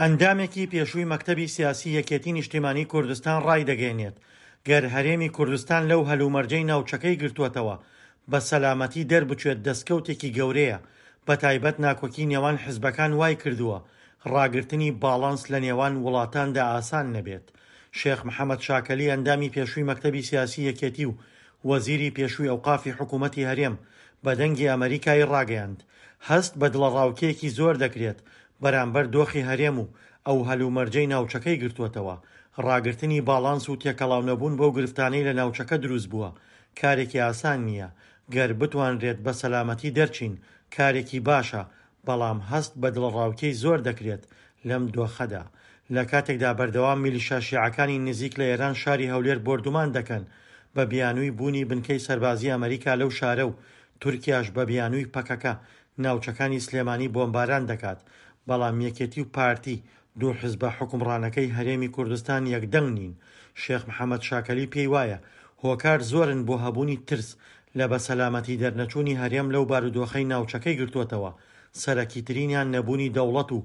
ئەندامێکی پێشووی مەکتەبی سیاسی یەکێتی نیشتیمانی کوردستان ڕایدەگەیەنێت، گەر هەرێمی کوردستان لەو هەلومەرجەی ناوچەکەی گرتووەتەوە بە سەلامەتی دەربچێت دەستکەوتێکی گەورەیە، بەتایبەت ناکۆکی نێوان حزبەکان وایکردووە ڕاگرتنی باڵانس لە نێوان وڵاتاندا ئاسان نەبێت. شێخ محەمەد شاکەلی ئەندامی پێشووی مەکتەبی سیاسی یەکێتی و وەزیری پێشووی ئەوقافی حکوومەتی هەرێم بە دەنگی ئەمەریکای ڕاگەیاند، هەست بە دڵەڕاوکێیەکی زۆر دەکرێت بەرامبەر دۆخی هەرێم و ئەو هەلومەرجەی ناوچەکەی گرتووەتەوە، ڕاگرتنی باڵانس و تێکەڵاونەبوون بەو گرفتانەی لە ناوچەکە دروستبووە کارێکی ئاسان نییە، گەر بتوانرێت بە سەلامەتی دەرچین کارێکی باشە، بەڵام هەست بە دڵەڕاوکێی زۆر دەکرێت لەم دۆخەدا. لە کاتێکدا بەردەوام میلیشا شیعەکانی نزیک لە ئێران شاری هەولێر بۆردومان دەکەن بە بیانووی بوونی بنکەی سەربازی ئەمەریکا لەو شارە و تورکیاش بە بیانووی پەکەکە ناوچەکانی سلێمانی بۆمباران دەکات، بەڵام یەکێتی و پارتی دوو حزبە حوکمڕانەکەی هەرێمی کوردستان یەکدەنگ نین. شێخ محەمەد شاکەلی پێی وایە هۆکار زۆرن بۆ هەبوونی ترس لە بە سەلامەتی دەرنەچوونی هەرێم لەو بارودۆخەی ناوچەکەی گرتووەتەوە، سەرەکیترینیان نەبوونی دەوڵەت و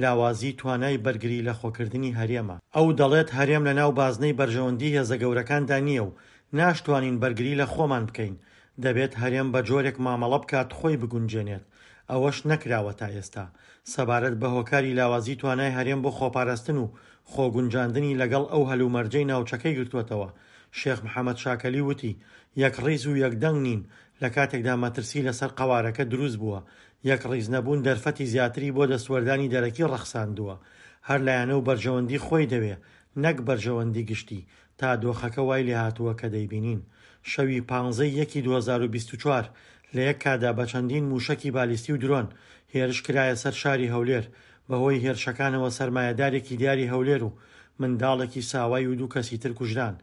لاوازیی توانای بەرگری لەخۆکردنی هەرێمە. ئەو دەڵێت هەرێم لەناو بازنەی بەرژەوەندیی هێزە گەورەکاندا نییە و ناشتوانین بەرگری لە خۆمان بکەین، دەبێت هەرێم بە جۆرێک مامەڵە بکات خۆی بگونجێنێت، ئەوەش نەکراوە تا ئێستا. سەبارەت بە هۆکاری لاوازی توانای هەرێم بۆ خۆپاراستن و خۆگونجاندنی لەگەڵ ئەو هەلومەرجەی ناوچەکەی گرتووەتەوە، شێخ محەمەد شاکەلی وتی، یەکڕیز و یەکدەنگ نین، لە کاتێکدا مەترسی لەسەر قەوارەکە دروست بووە، یەکڕیزنەبوون دەرفەتی زیاتری بۆ دەستوەردانی دەرەکی ڕەخساندووە، هەر لایەنە و بەرژەوەندی خۆی دەوێ نەک بەرژەوەندی گشتی، تا دۆخەکە وای لێهاتووە کە دەیبینین. شەوی پانزەی یەکی 2024 لە یەک کاتدا بە چەندین مووشەکی بالیستی و درۆن هێرش کرایە سەر شاری هەولێر، بەهۆی هێرشەکانەوە سەرمایەدارێکی دیاری هەولێر و منداڵێکی ساوای و دوو کەسی تر کوژران،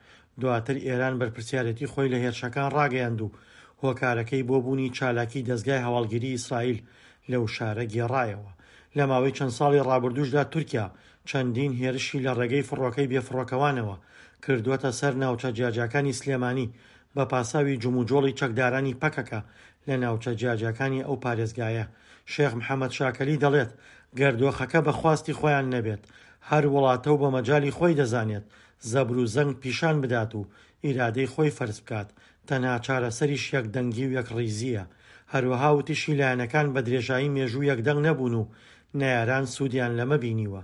دواتر ئێران بەرپرسیارێتی خۆی لە هێرشەکان ڕاگەیاند و هۆکارەکەی بۆ بوونی چالاکی دەزگای هەواڵگیری ئیسرائیل لەو شارە گێڕایەوە. لە ماوەی چەند ساڵی ڕابردووشدا تورکیا چەندین هێرشی لە ڕێگەی فڕۆکەی بێفڕۆکەوانەوە کردووەتە سەر ناوچە جیاجیاکانی سلێمانی بە پاساوی جموجۆڵی چەکدارانی پەکەکە لە ناوچە جیاجیاکانی ئەو پارێزگایە. شێخ محەمەد شاکەلی دەڵێت، گەر دۆخەکە بە خواستی خۆیان نەبێت، هەر وڵاتە و بە مەجالی خۆی دەزانێت زەبر و زەنگ پیشان بدات و ئیرادەی خۆی فەرز بکات، تەنها چارەسەریش یەکدەنگی و یەکڕیزییە. هەروەها وتیشی لایەنەکان بە درێژایی مێژوو یەکدەنگ نەبوون و نەیاران سوودیان لەمە بینیوە.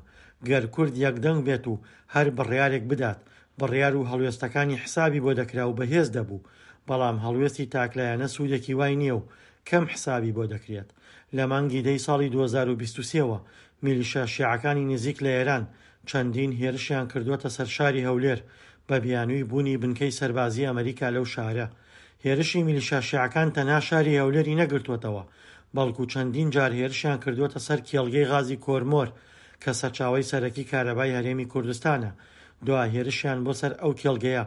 گەر کورد یەکدەنگ بێت و هەر بڕیارێک بدات، بڕیار و هەڵوێستەکانی حسابی بۆ دەکرا و بەهێز دەبوو، بەڵام هەڵوێستی تاکلایەنە سوودێکی وای نییە و کەم حسابی بۆ دەکرێت. لە مانگی دەی ساڵی 2023 وە میلیشیا شیعەکانی نزیک لە ئێران چەندین هێرشیان کردووەتە سەر شاری هەولێر بە بیانووی بوونی بنکەی سەربازی ئەمریکا لەو شارە. هێرشی میلیشیا شیعەکان تەنها شاری هەولێری نەگرتووەتەوە، بەڵکو چەندین جار هێرشیان کردووەتە سەر کێڵگەی غازی کۆرمۆر کە سەرچاوەی سەرەکی کارەبای هەرێمی کوردستانە، دوا هێرشیان بۆ سەر ئەو کێڵگەیە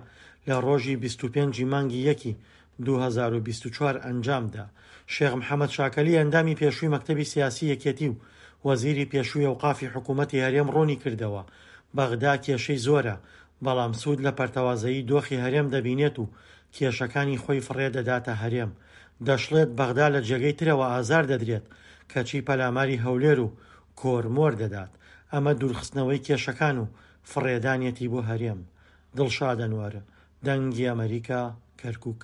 لە ڕۆژی 25 ی مانگی یەکی 2024 ئەنجامدا. شێخ محەمەد شاکەلی ئەندامی پێشووی مەکتەبی سیاسی یەکێتی و وەزیری پێشووی ئەوقافی حکوومەتی هەرێم ڕوونی کردەوە، بەغدا کێشەی زۆرە، بەڵام سوود لە پەرتەوازەیی دۆخی هەرێم دەبینێت و کێشەکانی خۆی فڕێ دەداتە هەرێم. دەشڵێت، بەغدا لە جێگەی ترەوە ئازار دەدرێت، کەچی پەلاماری هەولێر و کۆرمۆر دەدات. ئەمە دوورخستنەوەی کێشەکان و فڕێدانیەتی بۆ هەرێم. دڵشاد ئەنوەر، دەنگی ئەمەریکا، کەرکوک.